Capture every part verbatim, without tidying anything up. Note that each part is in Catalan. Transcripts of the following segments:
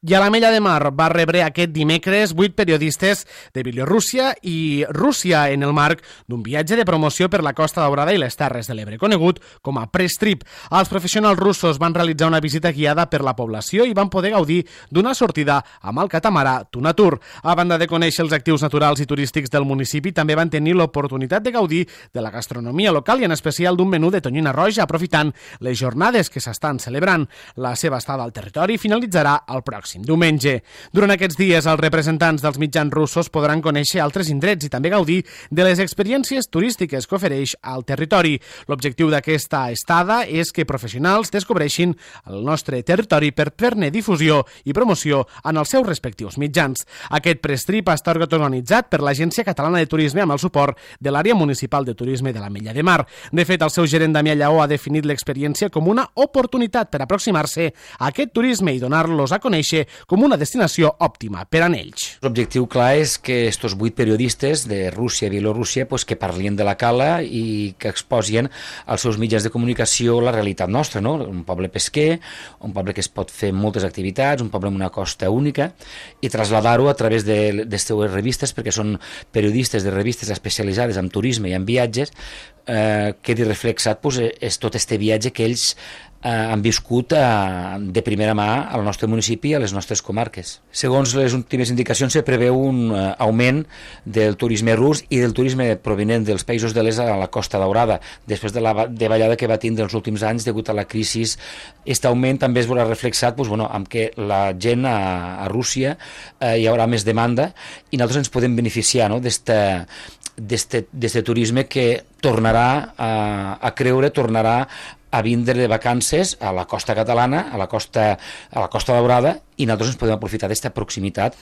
I a l'Ametlla de Mar va rebre aquest dimecres vuit periodistes de Bielorússia i Rússia en el marc d'un viatge de promoció per la Costa Daurada i les Terres de l'Ebre, conegut com a Press Trip. Els professionals russos van realitzar una visita guiada per la població i van poder gaudir d'una sortida amb el catamarà Tuna Tour. A banda de conèixer els actius naturals i turístics del municipi, també van tenir l'oportunitat de gaudir de la gastronomia local i en especial d'un menú de tonyina roja, aprofitant les jornades que s'estan celebrant. La seva estada al territori finalitzarà el pròxim diumenge. Durant aquests dies, els representants dels mitjans russos podran conèixer altres indrets i també gaudir de les experiències turístiques que ofereix al territori. L'objectiu d'aquesta estada és que professionals descobreixin el nostre territori per fer-ne difusió i promoció en els seus respectius mitjans. Aquest press trip està organitzat per l'Agència Catalana de Turisme amb el suport de l'Àrea Municipal de Turisme de l'Ametlla de Mar. De fet, el seu gerent Damià Lleó ha definit l'experiència com una oportunitat per aproximar-se a aquest turisme i donar-los a conèixer com una destinació òptima per a ells. L'objectiu clar és que estos vuit periodistes de Rússia i Bielorússia pues, que parlin de la cala i que exposien als seus mitjans de comunicació la realitat nostra, no? Un poble pesquer, un poble que es pot fer moltes activitats, un poble amb una costa única, i traslladar-ho a través de les seues revistes, perquè són periodistes de revistes especialitzades en turisme i en viatges, eh, quedi reflexat pues, és tot este viatge que ells Eh, han viscut eh, de primera mà al nostre municipi i a les nostres comarques. Segons les últimes indicacions, se preveu un eh, augment del turisme rus i del turisme provinent dels països de l'est a la Costa Daurada, després de la davallada que va tindre els últims anys degut a la crisi. Aquest augment també es veurà reflexat pues, bueno, amb que la gent a, a Rússia eh, hi haurà més demanda i nosaltres ens podem beneficiar no, d'este turisme que tornarà a, a creure, tornarà a vindre de vacances a la costa catalana, a la costa, a la Costa Daurada, i nosaltres ens podem aprofitar d'aquesta proximitat.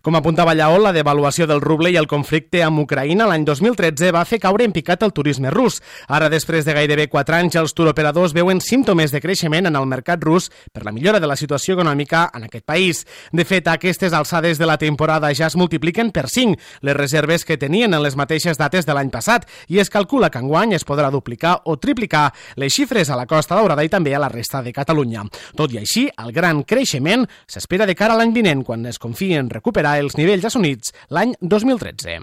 Com apuntava Lleó, la devaluació del ruble i el conflicte amb Ucraïna l'any dos mil tretze va fer caure en picat el turisme rus. Ara, després de gairebé quatre anys, els turoperadors veuen símptomes de creixement en el mercat rus per la millora de la situació econòmica en aquest país. De fet, a aquestes alçades de la temporada ja es multipliquen per cinc les reserves que tenien en les mateixes dates de l'any passat i es calcula que enguany es podrà duplicar o triplicar les xifres a la Costa Daurada i també a la resta de Catalunya. Tot i així, el gran creixement s'espera de cara a l'any vinent, quan es confia en recuperar els nivells assolits l'any dos mil tretze.